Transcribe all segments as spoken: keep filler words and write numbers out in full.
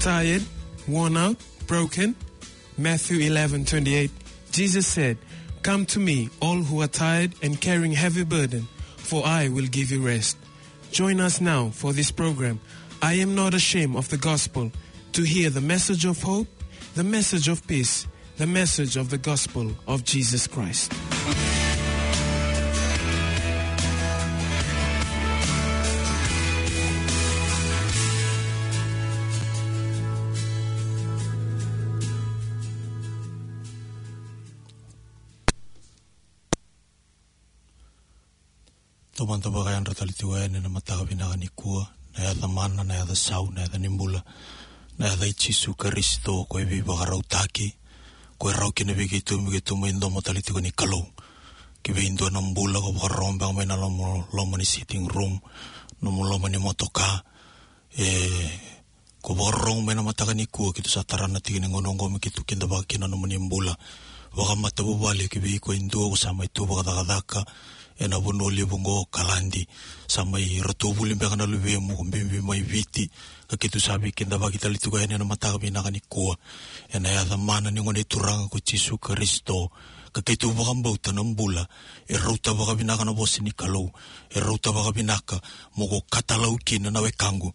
Tired, worn out, broken? Matthew eleven twenty-eight, Jesus said, "Come to me, all who are tired and carrying heavy burden, for I will give you rest." Join us now for this program, I Am Not Ashamed of the Gospel, to hear the message of hope, the message of peace, the message of the gospel of Jesus Christ. Taumada vakayadra tale tiko yani ena mataka vinaka nikua, na yaca mana, na yaca sau, na yaca ni bula, na yaca i Jisu Karisito, ko e veivakarautaki, ko e rawa kina vei keitou me keitou mai domo tale tiko ni Kalou. Ki vei dua na bula ko vakarorogo beka mai na loma, loma ni sitting room, nomu loma ni motoka, e, ko vakarorogo mai na mataka nikua, keitou sa tara na tiki ni gauna oqo me keitou kidavaka kina na nomuni bula vakamatavuvale. Ki vei iko e dua ko sa mai tu vakacakacaka ena vanua levu oqo, Kaladi, sa mai ratou vuli beka na luvemu, ko bibi mai Viti, ka keitou sa veikidavaki tale tiko yani ena mataka vinaka nikua. Ena yaca mana ni Gone Turaga ko Jisu Karisito, ka keitou vakabauta na bula e rauta vakavinaka na vosa ni Kalou, e rauta vakavinaka mo ko katalau kina na wekaqu.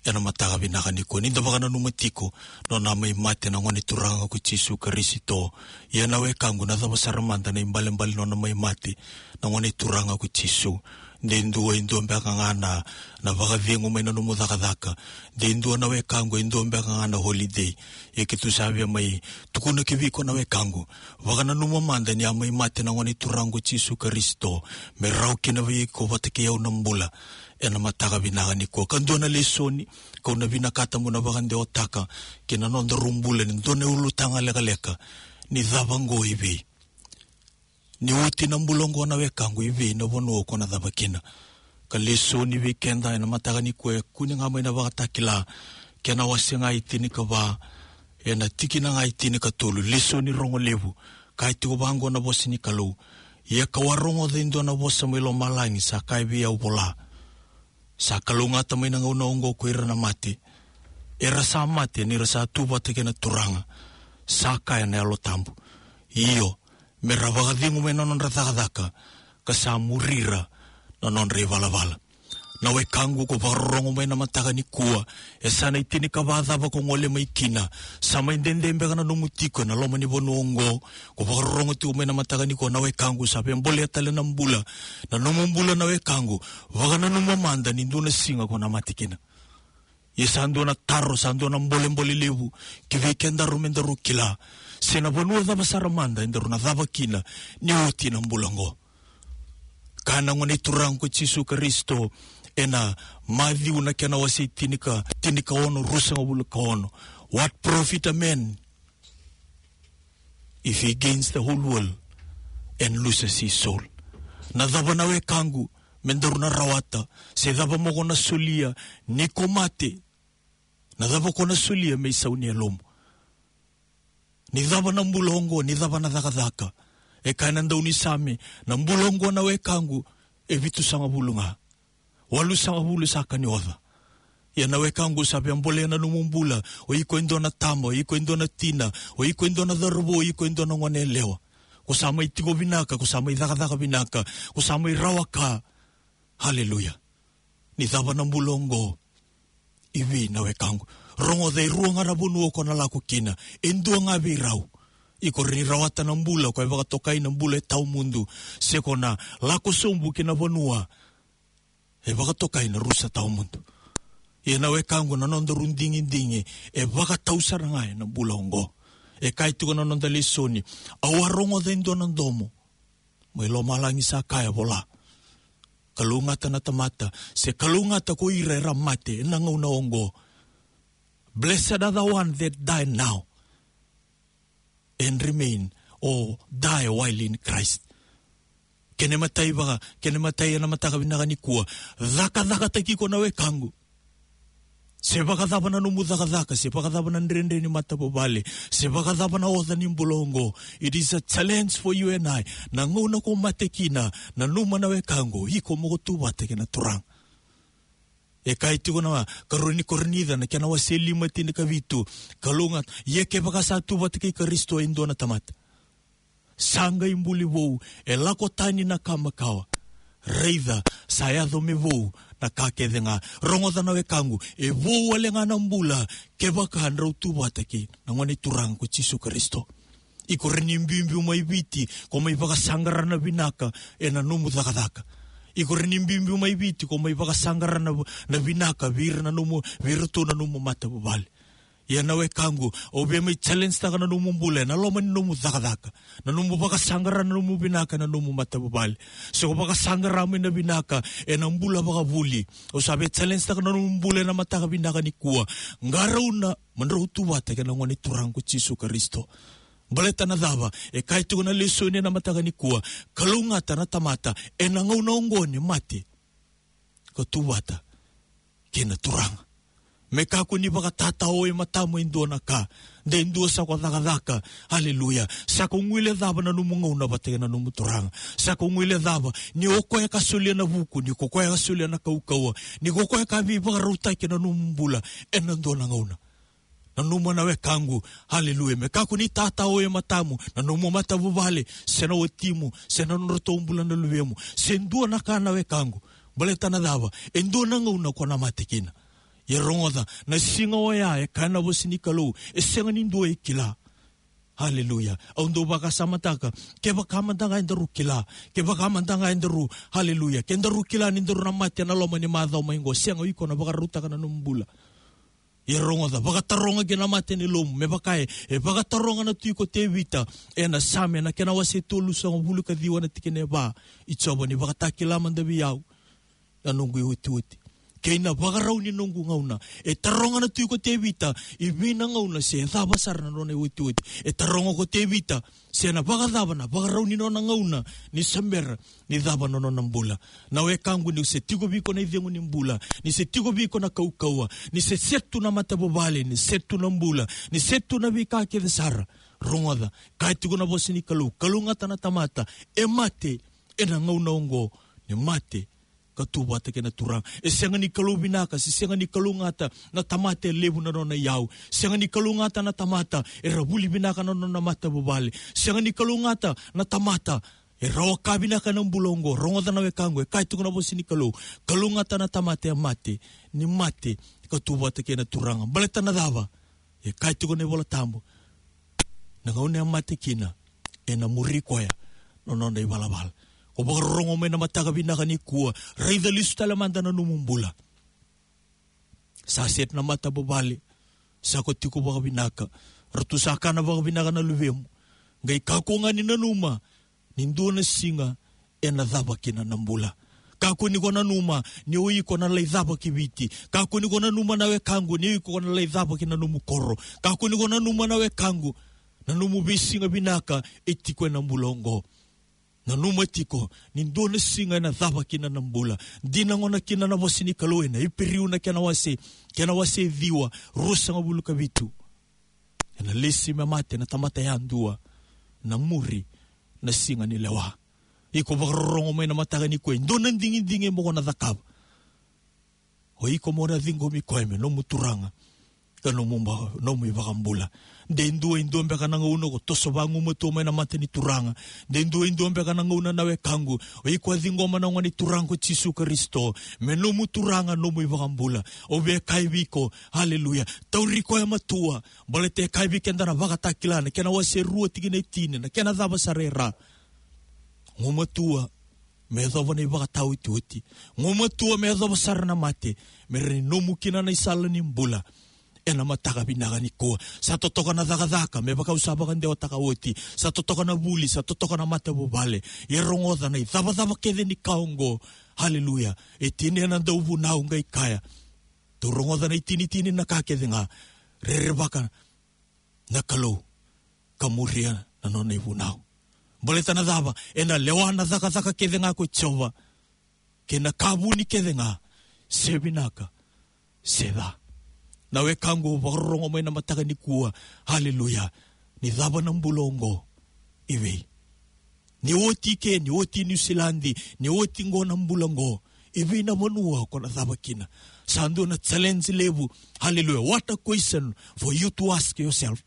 Ena mataka vinaka nikua, ni da vakananuma tiko nona mai mate na Gone Turaga ko Jisu Karisito. Ia na wekaqu, na cava sara mada na ibalebale nona mai mate na Gone Turaga ko Jisu? De dua, e dua beka ga na, na vakacegu mai na nomu cakacaka? De dua na wekaqu, e dua beka ga na holiday? Ia keitou sa via mai tukuna ki vei iko na wekaqu, vakananuma mada ni a mai mate na Gone Turaga ko Jisu Karisito me rawa kina vei iko vata kei au na bula. Ena mataka vinaka nikua, ka dua na lesoni kau na vinakata mo na vakadewataka kei na nodaru bula, ni dua na ulutaga lekaleka: ni cava oqo i vei? Ni oti na bula oqo na wekaqu, i vei na vanua ko na cava kina? Ka lesoni vei keda ena mataka nikua e kune ga mai na Vakatakila, kena wase ga e tinikava, ena tikina ga e tinikatolu, lesoni rogo levu. Kaya tiko vaqo na vosa ni Kalou: Ia kau a rogoca e dua na vosa mai lomalagi sa kaya vei au, vola: Sa kalougata mai na gauna oqo ko ira na mate, era sa mate ni ra sa tu vata kei na Turaga, sa kaya na Yalo Tabu. Io, me ra vakacegu mai na nodra cakacaka, ka sa muri ira na nodra ivalavala. Na wekaqu ko vakarorogo mai na mataka nikua, e sa na itinikava cava ko gole mai kina? Sa mai dede beka na nomu tiko ena loma ni vanua oqo, ko vakarorogo tiko mai na mataka nikua, na wekaqu, sa via bolea tale na bula, na nomu bula na wekaqu. Vakananuma mada ni dua na siga ko na mate kina. Ia sa dua na taro, sa dua na bolebole levu ki vei kedaru, me daru kila se na vanua cava sara mada edaru na cava kina ni oti na bula oqo. Kaya na Gone Turaga ko Jisu Karisito ena Maciu na kena wase tinika, tinikaono, ruasagavulu ka ono: What profit a man if he gains the whole world and loses his soul? Na cava na wekaqu me daru na rawata, se cava mo ko na solia ni ko mate? Na cava ko na solia me isau ni yalomu? Ni cava na bula oqo, ni cava na cakacaka? E kaya na daunisame, na bula oqo na wekaqu e vitusagavulu ga. Walusagavulu sa ka ni oca. Ia na wekaqu, sa via bolea na nomu bula. O iko e dua na tama, o iko e dua na tina, o iko e dua na cauravou, o iko e dua na goneyalewa. Ko sa mai tiko vinaka, ko sa mai cakacaka vinaka, ko sa mai rawa ka. Haleluya. Ni cava na bula oqo i vei na wekaqu? Rogoca, e rua ga na vanua ko na lako kina, e dua ga vei rau. Iko rawa ni rawata na bula ko e vakatokai na bula e tawamudu, se ko na lako sobu ki na vanua e vakatokai na rusa tawamudu. Ia na wekaqu, na nodaru digidigi e vakatau sara ga ena bula oqo. E kaya tiko na noda lesoni: Au a rogoca e dua na domo mai lomalagi sa kaya, vola: Kalougata na tamata, se kalougata ko ira era mate ena gauna oqo. Blessed are the one that die now and remain, or die while in Christ. Kena imatai vaka, kena imatai ena mataka vinaka nikua, cakacakataki iko na wekaqu. Se vakacava na nomu cakacaka, se vakacava na dredre ni matavuvale, se vakacava na oca ni bula oqo, it is a challenge for you and I. Na gauna ko mate kina, nanuma na wekaqu, iko mo ko tu vata kei na Turaga. E kaya tiko na karua ni Korinica, na kena wase lima, tinikavitu: Kalougata, ia kevaka sa tu vata kei Karisito e dua na tamata, sa qai buli vou, e lako tani na ka makawa. Raica, sa yaco me vou na ka kece ga. Rogoca na wekaqu, e vou wale ga na bula kevaka drau tu vata kei na Gone Turaga ko Jisu Karisito. Iko rawa ni biubiu mai Viti ko mai vakasaqara na vinaka ena nomu cakacaka. Iko rawa ni biubiu mai Viti ko mai vakasaqara na, na vinaka vei ira na nomu, vei iratou na nomu matavuvale. Ia na wekaqu, au via mai challenge taka na nomu bula ena loma ni nomu cakacaka, na nomu vakasaqara na nomu vinaka ena nomu matavuvale. Se ko vakasaqara mai na vinaka ena bula vakavuli, au sa via challenge taka na nomu bula ena mataka vinaka nikua: Qarauna mo drau tu vata kei na Gone Turaga ko Jisu Karisito. Baleta na cava? E kaya tiko na lesoni ena mataka nikua: Kalougata na tamata ena gauna oqo ni mate, ka tu vata kei na Turaga. Me kakua ni vakatatao e matamu e dua na ka. De dua sa ko cakacaka. Aleluya. Sa ko guilecava na nomu gauna vata kei na nomu Turaga. Sa ko guilecava ni o koya ka solia na vuku, ni ko koya ka solia na kaukauwa, ni ko koya ka veivakarautaki na nomu bula ena dua na gauna. Nanuma na wekaqu, aleluya, me kakua ni tatao e matamu na nomu matavuvale, se na watimu, se na nodratou bula na luvemu, se dua na ka na wekaqu. Baleta na cava? E dua na gauna ko na mate kina. Ia rogoca, na siga oya, e kaya na vosa ni Kalou, e sega ni dua e kila. Aleluya. Au dau vakasamataka, kevaka mada ga edaru kila, kevaka mada ga edaru, aleluya, ke daru kila ni daru na mate ena loma ni macawa mai qo, sega, o iko na vakarautaka na nomu bula. Ia rogoca, vakataroga ki na mata ni lomamu, me vaka e, e vakataroga na tui ko Tevita ena Same, na kena wase tolusagavulu ka ciwa, na tikina e va: I Jiova, ni vakatakila mada vei au na noqu iotioti kei na vakarau ni noqu gauna. E taroga na tui ko Tevita i vei na gauna, se cava sara na nona iotioti. E taroga ko Tevita se na vakacava na vakarau ni nona gauna ni se bera ni cava na nona bula. Na wekaqu, ni se tiko vei iko na icegu ni bula, ni se tiko vei iko na kaukauwa, ni se set tu na matavuvale, ni set tu na bula, ni set tu na veika kece sara, rogoca, kaya tiko na vosa ni Kalou: Kalougata na tamata e mate ena gauna oqo ni mate, ka tu vata kei na Turaga. E sega ni Kalou vinaka, se sega ni kalougata na tamata e levu na nona iyau. Sega ni kalougata na tamata era vuli vinaka na nona matavuvale. Sega ni kalougata na tamata era oka vinaka ena bula oqo. Rogoca na wekaqu, e kaya tiko na vosa ni Kalou: Kalougata na tamata e mate ni mate, ka tu vata kei na Turaga. Baleta na cava? E kaya tiko na iVola Tabu, na gauna e mate kina, ena muri koya na nona ivalavala. Ko vakarorogo mai na mataka vinaka nikua, raica lesu tale mada na nomu bula. Sa set na matavuvale, sa ko tiko vakavinaka, ratou sa kana vakavinaka na luvemu. Qai kakua ga ni nanuma ni dua na siga ena cava kina na bula. Kakua ni ko nanuma ni o iko na lai cava ki Viti. Kakua ni ko nanuma, na wekaqu, ni o iko na lai cava ki na nomu koro. Kakua ni ko nanuma, na wekaqu, na nomu veisiga vinaka e tiko ena bula oqo. Nanuma tiko ni dua na siga ena cava kina na bula. Dina gona kina na vosa ni Kalou ena Iperiu, na kena wase, kena wase ciwa, ruasagavulu ka vitu: Ena lesi me mate na tamata yadua, na muri na siga ni lewa. Iko vakarorogo mai na mataka nikua, e dua na digidigi mo ko na cakava. O iko mo na ciqomi koya me nomu Turaga ka nomu ba-, nomu iVakabula. De dua, e dua beka na gauna ko toso vagumatua mai na mata ni Turaga. De dua, e dua beka na gauna, na wekaqu, o iko a ciqoma na Gone Turaga ko Jisu Karisito me nomu Turaga, nomu iVakabula. Au via kaya vei iko, aleluya, tauri koya matua. Baleta e kaya vei keda na Vakatakila, na kena wase rua, tikina e tini, na kena cava sara e ra: Gumatua me yacova na ivakataotioti. Gumatua me yacova sara na mate, me rawa ni nomu kina na isala ni bula ena mataka vinaka nikua. Sa totoka na cakacaka, me vaka au sa vakadewataka oti. Sa totoka na vuli, sa totoka na matavuvale. Ia rogoca, na icavacava kece ni ka oqo, aleluya, e tinia na dauvunau, qai kaya: Tou rogoca na itinitini na ka kece ga, rerevaka na Kalou ka muria na nona ivunau. Baleta na cava? Ena lewa na cakacaka kece ga ko Jiova, kei na ka vuni kece ga, se vinaka se ca. Na wekaqu, vakarorogo mai na mataka nikua, aleluya, ni cava na bula oqo i vei? Ni oti ke, ni oti Niusiladi, ni oti qo na bula qo, I vei na vanua ko na cava kina? Sa dua na challenge levu. Hallelujah. What a question for you to ask yourself.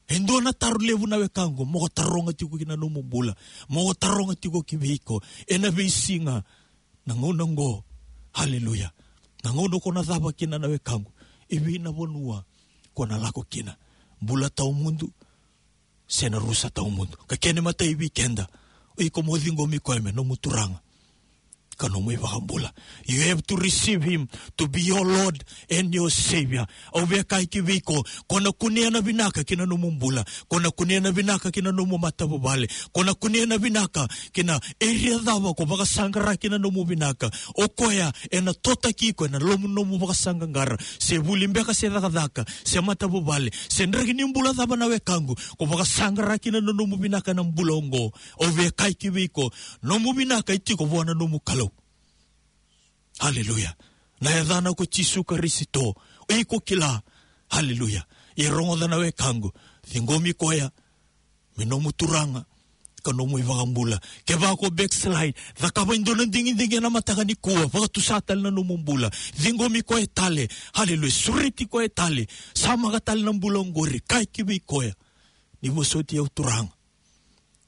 E dua na taro levu na wekaqu, mo ko taroga tiko ki na nomu bula. Mo ko taroga tiko ki vei iko. Ena veisiga, na gauna qo. Hallelujah. Na gauna ko na cava kina na wekaqu. I vei na vanua ko na lako kina. Bula tawamudu. Se na rusa tawamudu. Ka kena imatai vei keda. O iko mo ciqomi koya me nomu Turaga. Ka nomu iVakabula. You have to receive him to be your Lord and your Savior. Au via kaya ki vei iko, ko na kunea na vinaka ki na nomu bula. Ko na kunea na vinaka ki na nomu matavuvale. Ko na kunea na vinaka ki na area cava ko vakasaqara ki na nomu vinaka. O koya ena totaki iko ena loma ni nomu vakasaqaqara. Se vuli beka se cakacaka, se matavuvale, se draki ni bula cava na wekaqu, ko vakasaqara ki na nomu vinaka na bula oqo. Au via kaya ki vei iko, nomu vinaka e tiko vua na nomu Kalou. Hallelujah. Na yacana ko Jisu Karisito. O iko kila. Hallelujah. Ia rogoca na wekaqu. Ciqomi koya me nomu Turaga ka nomu iVakabula. Kevaka ko backslide, cakava e dua na digidigi ena mataka nikua, vakatusa tale na nomu bula. Ciqomi koya tale. Hallelujah. Sureti koya tale. Samaka tale na bula oqori. Kaya ki vei koya, ni vosoti au Turaga.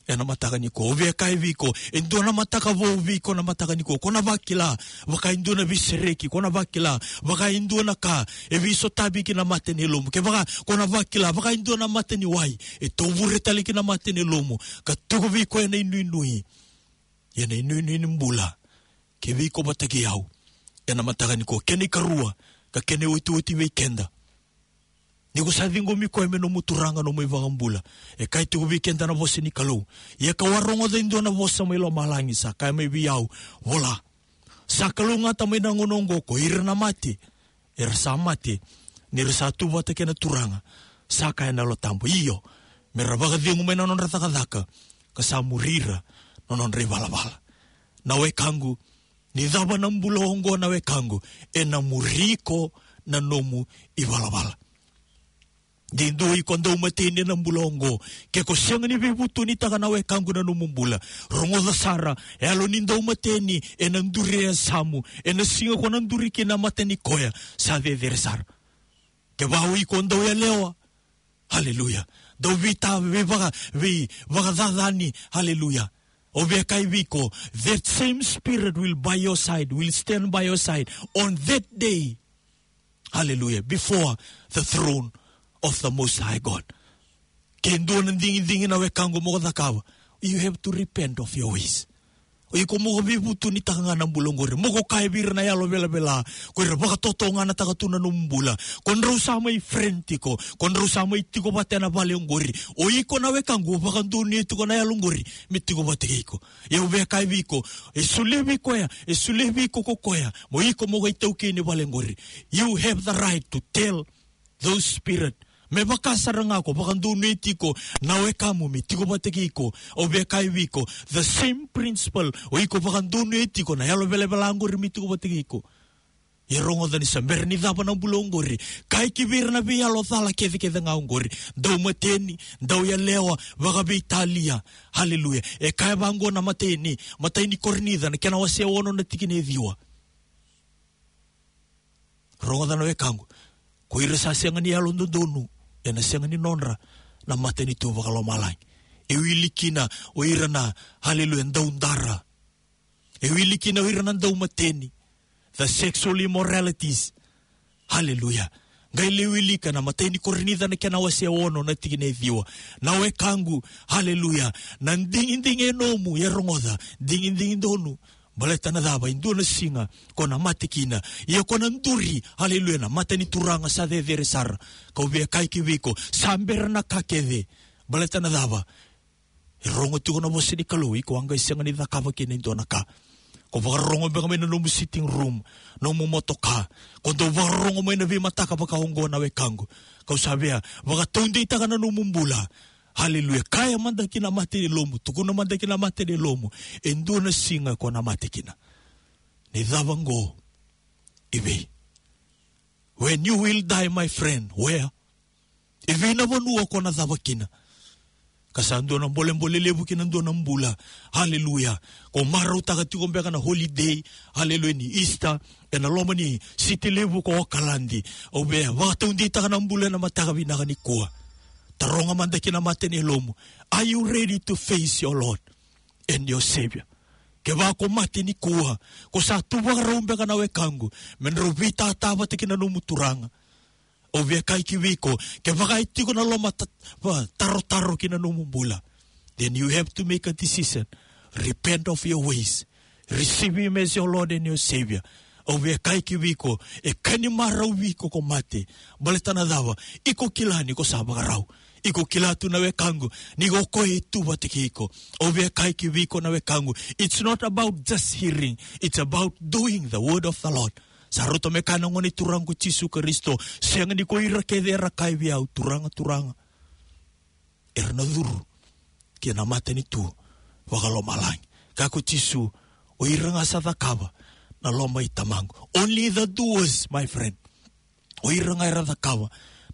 Ena mataka nikua, au via kaya vei iko, e dua na mataka vou vei iko na mataka nikua. Ko na vakila, vaka e dua na veisereki, ko na vakila, vaka e dua na ka e veisotavi ki na mata ni lomamu. Kevaka ko na vakila, vaka e dua na mata ni wai e tovure tale ki na mata ni lomamu, ka tiko vei iko ena inuinui. Ia na inuinui ni bula, ke vei iko vata kei au. Ena mataka nikua, kena ikarua, ka kena iotioti vei keda. Ni ko sa ciqomi koya me nomu Turaga, nomu iVakabula. E kaya tiko vei keda na vosa ni Kalou. Ia kau a rogoca e dua na vosa mai lomalagi sa kaya mai vei au, vola. Sa kalougata mai na gauna oqo ko ira na mate. Era sa mate. Ni ra sa tu vata kei na Turaga. Sa kaya na Yalo Tabu. Io. Me ra vakacegu mai na nodra cakacaka. Ka sa muri ira na nodra ivalavala. Na wekaqu. Ni cava na bula oqo na wekaqu, ena muri iko na nomu ivalavala. De dua iko daumateni ena bula oqo, ke ko sega ni veivutunitaka na wekaqu na nomu bula. Rogoca sara, e yalo ni daumateni, ena duri e yasamu, ena siga ko na duri kina na mata ni koya, sa cecere sara. Kevaka o iko dauyalewa, Hallelujah. Dau veita, veivaka, veivakacacani. Hallelujah. Au via kaya vei iko, that same spirit will by your side, will stand by your side on that day. Hallelujah. Before the throne of the Most High God. Ke dua na digidigi na wekaqu mo ko cakava, you have to repent of your ways. O iko mo ko veivutunitaka ga na bula oqori. Mo ko kaya vei ira na yalo velavela, ko ira vakatotoganataka tu na nomu bula. Ko drau sa mai friend tiko, ko drau sa mai tiko vata ena vale oqori. O iko na wekaqu, o vakadonuya tiko na yalo oqori me tiko vata kei iko. Ia au via kaya vei iko, e solia vei koya, e solia vei iko ko koya, mo iko mo qai taukei ni vale oqori. You have the right to tell those spirit. Me vaka sara ga ko vakadonuya tiko na wekamu me tiko vata kei iko. Au via kaya vei iko, the same principle. O iko vakadonuya tiko na yalo velavela oqori me tiko vata kei iko. Ia rogoca ni sa bera ni cava na bula oqori. Kaya ki vei ira na veiyalo cala kecekece ga oqori. Daumateni, dauyalewa, vakaveitalia. Hallelujah. E kaya vaqo na imatai ni, imatai ni Korinica, na kena wase ono na tikina e ciwa. Rogoca na wekaqu. Ko ira sa sega ni yalododonu, ena sega ni nodra na matanitu vakalomalagi. E wili kina o ira na, hallelujah, daudara. E wili kina o ira na daumateni. The sexual immoralities. Hallelujah. Qai lai wilika na imatai ni Korinica na kena wase ono na tikina e ciwa. Na wekaqu, hallelujah. Na digidigi e nomu, ia rogoca, digidigi donu. Baleta na cava, e dua na siga ko na mate kina. Ia ko na duri, hallelujah, na mata ni Turaga sa cecere sara. Kau via kaya ki vei iko, sa bera na ka kece. Baleta na cava, e rogo tiko na vosa ni Kalou, iko a qai sega ni cakava kina e dua na ka. Ko vakarorogo beka mai na nomu sitting room, nomu motoka. Ko dau vakarorogo mai na veimataka vaka oqo na wekaqu. Kau sa via vakataudeitaka na nomu bula. Hallelujah. Kaya mada ki na mata ni lomamu, tukuna mada ki na mata ni lomamu. E dua na siga ko na mate kina. Ni cava qo, i vei? When you will die, my friend, where? I vei na vanua ko na cava kina? Ka sa dua na bolebole levu ki na dua na bula. Haleluya. Ko marautaka tiko beka na holiday. Haleluya, ni Easter. Ena loma ni siti levu ko Okaladi. Au via vakataudeitaka na bula ena mataka vinaka nikua. Taroga mada ki na mata ni lomamu. Are you ready to face your Lord and your Savior? Kevaka ko mate nikua, ko sa tu vakarau beka na wekaqu me drau veitata vata kei na nomu Turaga. Au via kaya ki vei iko, kevaka e tiko na loma ta-, va-, tarotaro ki na nomu bula, then you have to make a decision. Repent of your ways. Receive him as your Lord and your Savior. Au via kaya ki vei iko, e ka ni marau vei iko ko mate. Baleta na cava? Iko kila ni ko sa vakarau. Iko kila tu na wekaqu, ni ko koya e tu vata kei iko. Au via kaya ki vei iko na wekaqu, it's not about just hearing, it's about doing the word of the Lord. Sa rauta me kaya na Gone Turaga ko Jisu Karisito, sega ni ko ira kece era kaya vei au, Turaga, Turaga, era na curu ki na matanitu vakalomalagi. Kaya ko Jisu, o ira ga sa cakava na loma i Tamaqu. Only the doers, my friend. O ira ga era cakava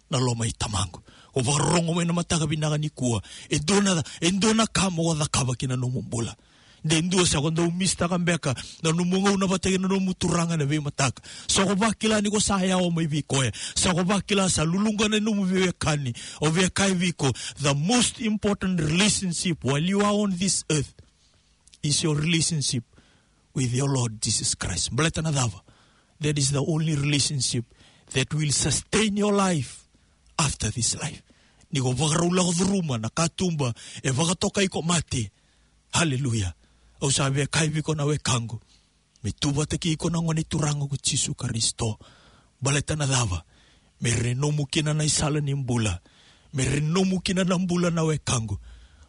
na loma i Tamaqu. Ko vakarorogo mai na mataka vinaka nikua. E dua na, e dua na ka mo cakava ki na nomu bula. De dua sa ko dau misitaka beka na nomu gauna vata kei na nomu Turaga ena veimataka. Sa ko vakila ni ko sa yawa mai vei koya. Sa ko vakila sa luluqa na nomu veiwekani. Au via kaya vei iko, the most important relationship while you are on this earth is your relationship with your Lord Jesus Christ. Baleta na cava? That is the only relationship that will sustain your life after this life. Ni ko vakarau lako curuma na katuba e vakatokai ko mate. Haleluya. Au sa via kaya vei iko na wekaqu, me tu vata kei iko na Gone Turaga ko Jisu Karisito. Baleta na cava? Me ra ni nomu kina na isala ni bula. Me ra ni nomu kina na bula na wekaqu.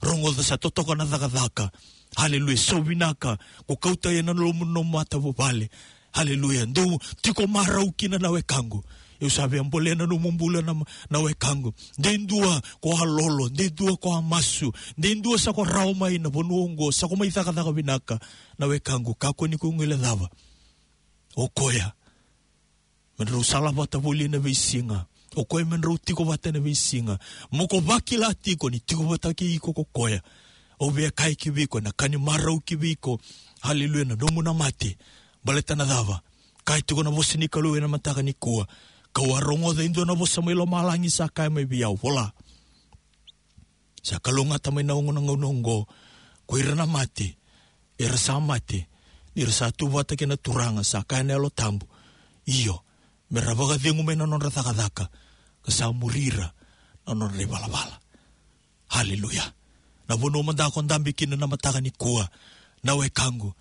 Rogoca, sa totoka na cakacaka. Haleluya. Sa vinaka ko kauta ena nomu, nomu matavuvale. Haleluya. Dou tiko marau kina na wekaqu. Au sa via bolea na nomu bula na, na wekaqu. De dua ko a lolo, de dua ko a masu, de dua sa ko rawa mai na vanua oqo, sa ko mai cakacaka vinaka. Na wekaqu, kakua ni ko guilecava. O koya me drau sala vata voli ena veisiga. O koya me drau tiko vata ena veisiga. Mo ko vakila tiko ni tiko vata kei iko ko koya. Au via kaya ki vei iko, na ka ni marau ki vei iko. Haleluya, na nomu na mate. Baleta na cava? Kaya tiko na vosa ni Kalou ena mataka nikua. Kau a rogoca e dua na vosa mai lomalagi sa kaya mai vei au, vola. Sa kalougata mai na oqo na gauna oqo, ko ira na mate era sa mate ni ra sa tu vata kei na Turaga, sa kaya na Yalo Tabu, io, me ra vakacegu mai na nodra cakacaka, ka sa muri ira na nodra ivalavala. Haleluya. Na vanua mada ko dabe kina na mataka nikua, na wekaqu,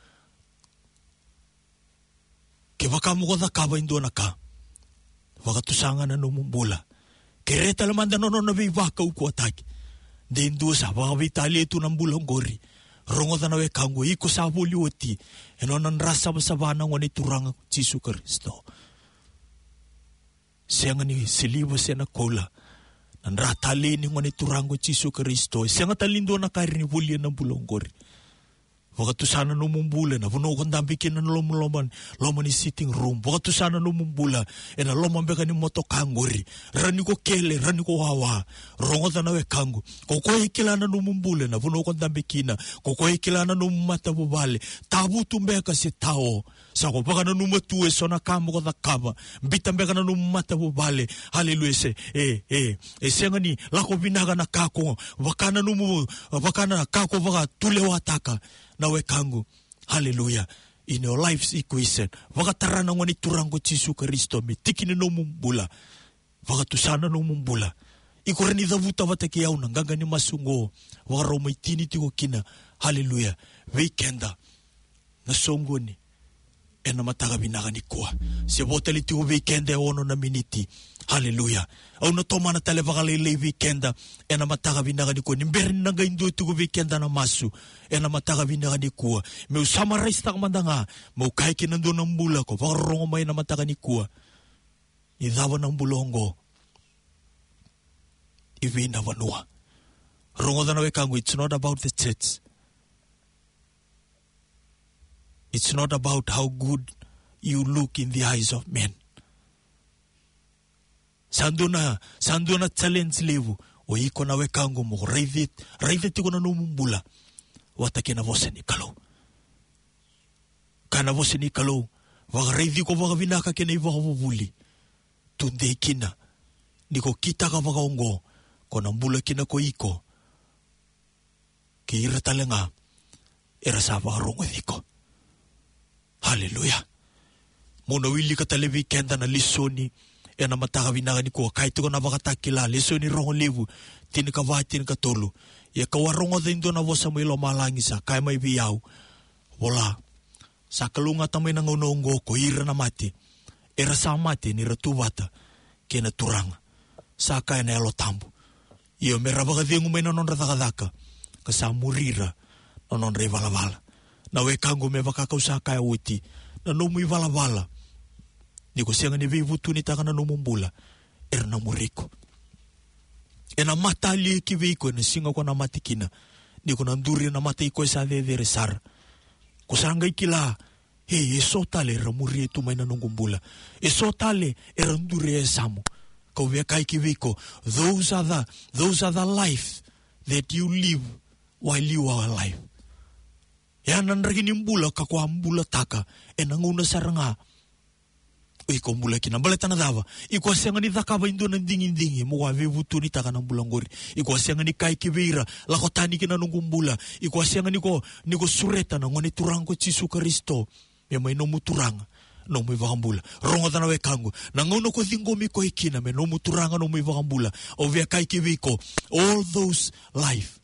kevaka mo ko cakava e dua na ka, vakatusa ga na nomu bula. Kerea tale mada na nona veivakaukauwataki. De dua sa vakaveitalia tu na bula oqori. Rogoca na wekaqu, iko sa voli oti ena nona dra savasava na Gone Turaga ko Jisu Karisito. Sega ni siliva se na koula na dra talei ni Gone Turaga ko Jisu Karisito. E sega tale ni dua na ka e rawa ni volia na bula oqori. Vakatusa na nomu bula ena vanua ko dabe kina, na loma, loma, loma ni sitting room. Vakatusa na nomu bula ena loma beka ni motoka oqori. Rawa ni ko kele, rawa ni ko wawa. Rogoca na wekaqu. Ko koya e kila na nomu bula ena vanua ko dabe kina. Ko koya e kila na nomu matavuvale. Tavutu beka se tao. Sa ko vakananuma tu eso na ka mo ko cakava. Biuta beka na nomu matavuvale. Haleluya. Se, e, e, e sega ni lako vinaka na ka ko vaka na nomu, vaka na ka ko vakatulewataka, na wekaqu. Haleluya. In your life's equation, vakatara na Gone Turaga ko Jisu Karisito me tiki ni nomu bula. Vakatusa na nomu bula. Iko rawa ni cavuta vata kei au na qaqa ni masu oqo. Vakarau mai tini tiko kina. Haleluya. Vei keda na soqoni ena mataka vinaka nikua. Se vo tale tiko vei keda e ono na miniti. Haleluya. Au na tomana tale vakalailai vei keda ena mataka vinaka nikua. Ni bera ni na qai dua tiko vei keda na masu ena mataka vinaka nikua, meu summarize-taka mada ga, meu kaya ki na dua na bula ko vakarorogo mai ena mataka nikua. Ni cava na bula oqo i vei na vanua? Rogoca na wekaqu, it's not about the church. It's not about how good you look in the eyes of men. Sa dua na, sa dua na challenge levu. O iko na wekaqu mo raici, raica tiko na nomu bula vata kei na vosa ni Kalou. Kaya na vosa ni Kalou, vakaraici iko vakavinaka kei na ivakavuvuli. Tudei kina, ni ko kitaka vakaoqo, ko na bula kina ko iko kei ira tale ga era sa vakarogoci iko. Haleluya. Mo na wilika tale vei keda na lesoni ena mataka vinaka nikua, kaya tiko na Vakatakila, lesoni rogo levu, tinikava, tinikatolu. Ia kau a rogoca e dua na vosa mai lomalagi sa kaya mai vei au, vola, sa kalougata mai na gauna oqo ko ira na mate era sa mate ni ra tu vata kei na Turaga, sa kaya na Yalo Tabu. Io, me ra vakacegu mai na nodra cakacaka, ka sa muri ira na nodra ivalavala. Na wekaqu, me vaka kau sa kaya oti, na nomu ivalavala, ni ko sega ni veivutunitaka na nomu bula, era na muri iko. Ena mata ali ki vei iko ena siga ko na mate kina, ni ko na duri ena mata i koya sa cecere sara. Ko sa qai kila, e, e so tale era muria tu mai na noqu bula. E so tale era duri e yasamu. Kau via kaya ki vei iko, those are the, those are the life that you live while you are alive. Ya na draki ni bula ka ko a bulataka ena gauna sara ga o iko bula kina. Baleta na cava? Iko a sega ni cakava e dua na digidigi mo a veivutunitaka na bula oqori. Iko a sega ni kaya ki vei ira, lako tani ki na noqu bula. Iko a sega ni ko, ni ko sureta na Gone Turaga ko Jisu Karisito me mai nomu Turaga, nomu iVakabula. Rogoca na wekaqu, na gauna ko ciqomi koya kina me nomu Turaga, nomu iVakabula, au via kaya ki vei iko, all those life,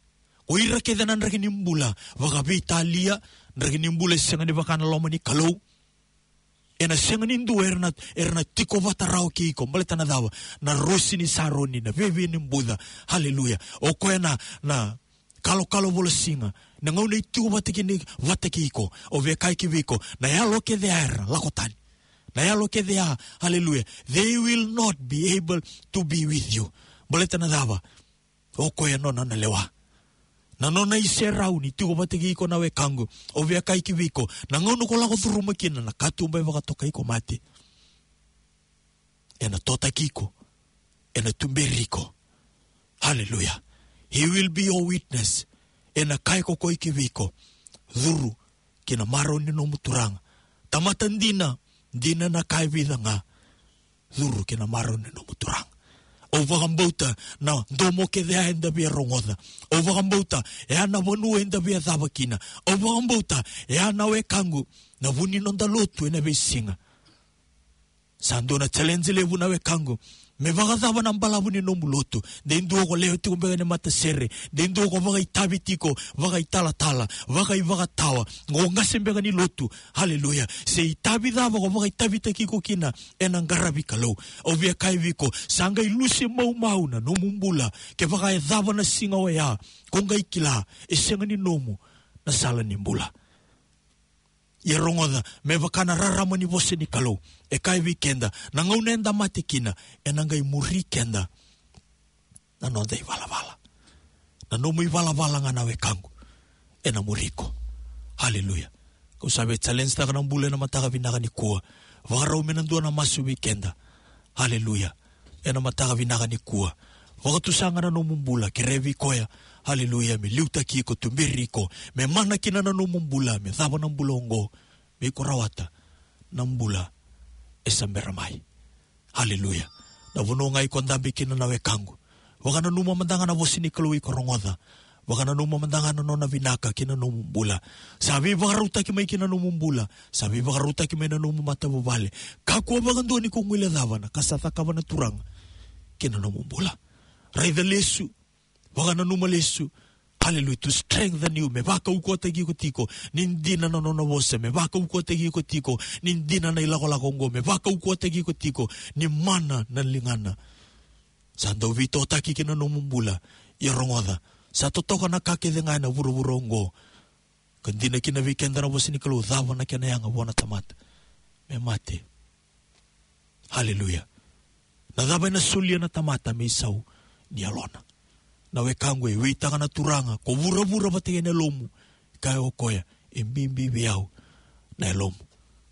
o ira kece na draki ni bula, vakaveitalia, draki ni bula e sega ni vaka na loma ni Kalou, ena sega ni dua era na, era na tiko vata rawa kei iko. Baleta na cava? Na rosi ni Saroni, na viavia ni buca. Haleluya. O koya na, na kalokalo volasiga, na gauna e tiko vata kei, vata kei iko, au via kaya ki vei iko, na yalo kece ya era lako tani. Na yalo kece ya, haleluya, they will not be able to be with you. Baleta na cava? O koya nona na lewa. Na nona iserau ni tiko vata kei iko, na wekaqu, au via kaya ki vei iko, na gauna ko lako curuma kina na katuba e vakatokai ko mate, ena totaki iko, ena tuberi iko. Haleluya. He will be your witness. Ena kaya ko koya ki vei iko, curu ki na marau ni nomu Turaga. Tamata dina, dina na ka e vica ga, curu ki na marau ni nomu Turaga. Au vakabauta na domo kece ya eda via rogoca. Au vakabauta e a na vanua eda via cava kina. Au vakabauta e a, na wekaqu, na vu ni noda lotu ena veisiga. Sa dua na challenge levu, na wekaqu. Me vakacava na balavu ni nomu lotu? De dua ko lewe tiko beka ni matasere, de dua ko vakaitavi tiko, vakaitalatala, vakaivakatawa, ko qase beka ni lotu. Haleluya. Se itavi cava ko vakaitavitaki iko kina ena qaravi Kalou, au via kaya vei iko, sa qai lusi maumau na nomu bula. Kevaka e cava na siga oya, ko qai kila e sega ni nomu na sala ni bula. Ia rogoca, me vaka na rarama ni vosa ni Kalou e kaya vei keda, na gauna eda mate kina, ena qai muri keda na noda ivalavala. Na nomu ivalavala ga, na wekaqu, ena muri iko. Haleluya. Kau sa via challenge taka na bula ena mataka vinaka nikua. Vakarau me na dua na masu vei keda. Haleluya. Ena mataka vinaka nikua, vakatusa ga na nomu bula, kerea vei koya, haleluya, me liutaki iko, tuberi iko, me mana kina na nomu bula, me cava na bula oqo, me iko rawata na bula e sa bera mai. Haleluya. Na vanua ga iko dabe kina, na wekaqu, vakananuma mada ga na vosa ni Kalou iko rogoca. Vakananuma mada ga na nona vinaka ki na nomu bula. Sa veivakarautaki mai ki na nomu bula. Sa veivakarautaki mai na nomu matavuvale. Kakua vakadua ni ko guilecava na ka sa cakava na Turaga ki na nomu bula. Raica lesu. Vakananuma lesu. Haleluya. To strengthen you. Me vakaukauwataki iko tiko ni dina na nona vosa. Me vakaukauwataki iko tiko ni dina na ilakolako oqo. Me vakaukauwataki iko tiko ni mana na ligana. Sa dau veitokoni ki na nomu bula. Ia rogoca, sa totoka na ka kece ga ena vuravura oqo. Ka dina kina vei keda na vosa ni Kalou, cava na kena yaga vua na tamata? Me mate. Haleluya. Na cava ena solia na tamata me isau ni yalona? Na wekaqu, e weitaka na Turaga, ko vuravura vata kei na yalomu. Kaya o koya, e bibi vei au na yalomu.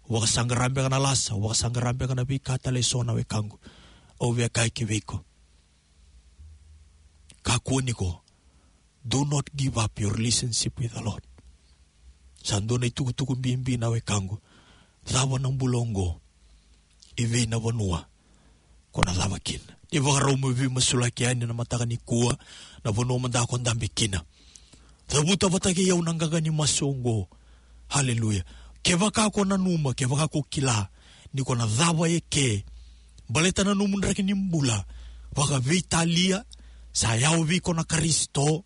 Au vakasaqara beka na lasa, au vakasaqara beka na veika tale eso, na wekaqu. Au via kaya ki vei iko, Kakua ni ko. Do not give up your relationship with the Lord. Sa dua na itukutuku bibi na wekaqu. Cava na bula oqo? I vei na vanua ko na cava kina? Ni vakarau mo veimasulaki yani na mataka nikua, na vanua mada ko dabe kina. Cavuta vata kei au na qaqa ni masu oqo. Haleluya. Kevaka ko nanuma, kevaka ko kila ni ko na cava eke, baleta na nomu draki ni bula vakaveitalia, sa yawa vei iko na Karisito.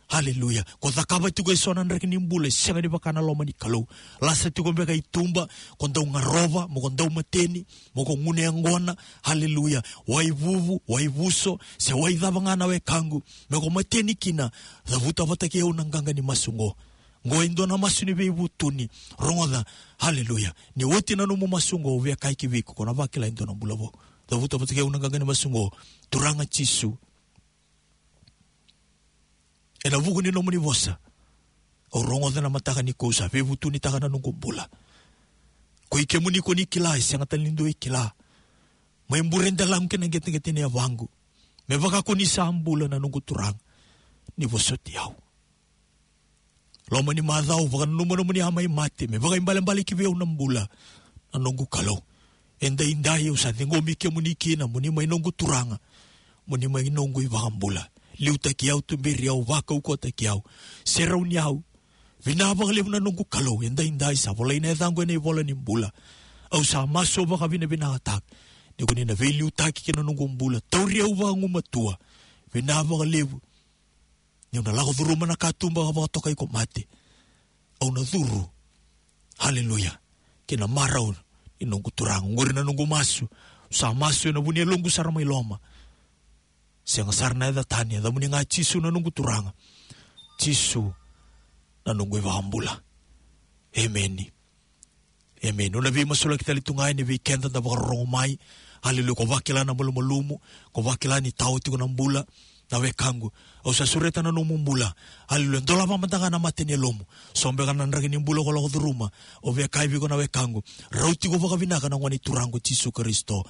Haleluya. Ko cakava tiko eso na draki ni bula e sega ni vaka na loma ni Kalou. Lasa tiko beka i tuba, ko dau garova, mo ko dau mateni, mo ko gunu yaqona. Haleluya. Wai vuvu, wai vuso, se wai cava ga na wekaqu, me ko mateni kina. Cavuta vata kei au na qaqa ni masu oqo. Oqo e dua na masu ni veivutuni. Rogoca. Haleluya. Ni oti na nomu masu oqo, au via kaya ki vei iko, ko na vakila e dua na bula vou. Cavuta vata kei au na qaqa ni masu oqo. Turaga Jisu, ena vuku ni nomuni vosa, au rogoca na mataka nikua, au sa veivutunitaka na noqu bula. Ko i kemuni ko ni kila, e sega tale ni dua e kila. Mai bure delaqu kei na qeteqete ni yavaqu. Me vaka ko ni sa bula na noqu Turaga, ni vosoti au. Loma ni macawa, vakananuma nomuni a mai mate me vakaibalebale ki vei au na bula. Na noqu Kalou, edaidai au sa ciqomi kemuni kina mo ni mai noqu Turaga, mo ni mai noqu iVakabula. Liutaki au, tuberi au, vakaukauwataki au, serauni au. Vinaka vakalevu na noqu Kalou, edaidai sa volai na yacaqu ena ivola ni bula. Au sa masu vakavinavinakataka ni ko ni na veiliutaki ki na noqu bula, tauri au vakagumatua. Vinaka vakalevu. Niu na lako curuma na katuba ka vakatokai ko mate, au na curu, haleluya, ki na marau ni noqu Turaga. Oqori na noqu masu. Au sa masu ena vu ni yaloqu sara mai loma. Sega sara na yaca tani, yacamuni ga Jisu na noqu Turaga. Jisu na noqu iVakabula. Emeni. Emeni. Au na veimasulaki tale tu ga yani vei keda da vakarorogo mai. Haleluya. Ko vakila na malumalumu, ko vakila ni tao tiko na bula, na wekaqu, au sa sureta na nomu bula. Haleluya. Dolava mada ga na mata ni yalomu. So beka na draki ni bula ko lako curuma. Au via kaya vei iko na wekaqu, rauti iko vakavinaka na Gone Turaga o Jisu Karisito.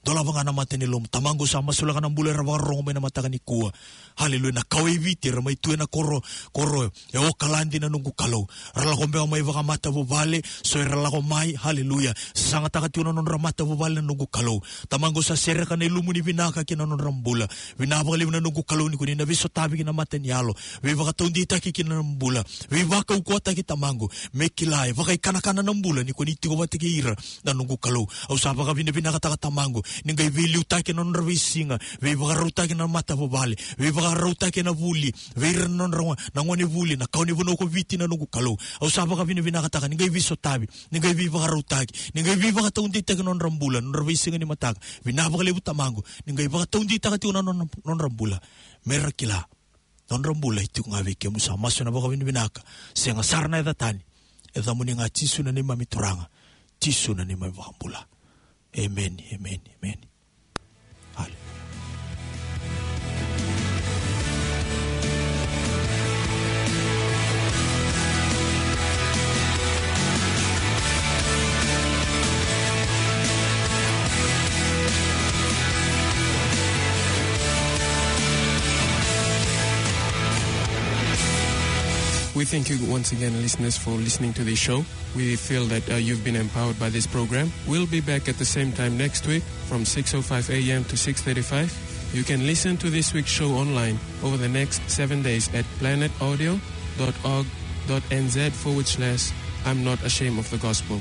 Dolava ga na mata ni yalomu. Tamaqu, au sa masulaka na bula era vakarorogo mai na mataka nikua. Haleluya. Na kawa i Viti era mai tu ena koro, koro e Okaladi na noqu Kalou. Ra lako beka mai vakamatavuvale, so era lako mai, haleluya, sagataka tiko na nodra matavuvale na noqu Kalou. Tamaqu, au sa sereka na ilumu ni vinaka ki na nodra bula. Vinaka vakalevu na noqu Kalou ni ko ni na veisotavi ki na mata ni yalo. Veivakataudeitaki ki na bula. Veivakaukauwataki, Tamaqu. Me kila e vakaikanakana na bula ni ko ni tiko vata kei ira na noqu Kalou. Au sa vakavinavinakataka, Tamaqu, ni qai veiliutaki na nodra veisiga, veivakarautaki na matavuvale, veivakarautaki na vuli, vei ira na nodra go-, na gone vuli, na kawa ni vanua ko Viti na noqu Kalou. Au sa vakavinavinakataka ni qai veisotavi, ni qai veivakarautaki, ni qai veivakataudeitaki na nodra bula, na nodra veisiga ni mataka. Vinaka vakalevu, Tamaqu, ni qai vakataudeitaka tiko na nodra, nodra bula. Me ra kila nodra bula e tiko ga vei kemuni. Sa masu ena vakavinavinaka, sega sara na yaca tani. Yacamuni ga Jisu na neimami Turaga, Jisu na neimami iVakabula. Emeni, emeni, emeni. Haleluya. We thank you once again, listeners, for listening to this show. We feel that, uh, you've been empowered by this program. We'll be back at the same time next week from six oh five a m to six thirty-five. You can listen to this week's show online over the next seven days at planet audio dot org dot n z forward slash I'm not ashamed of the gospel.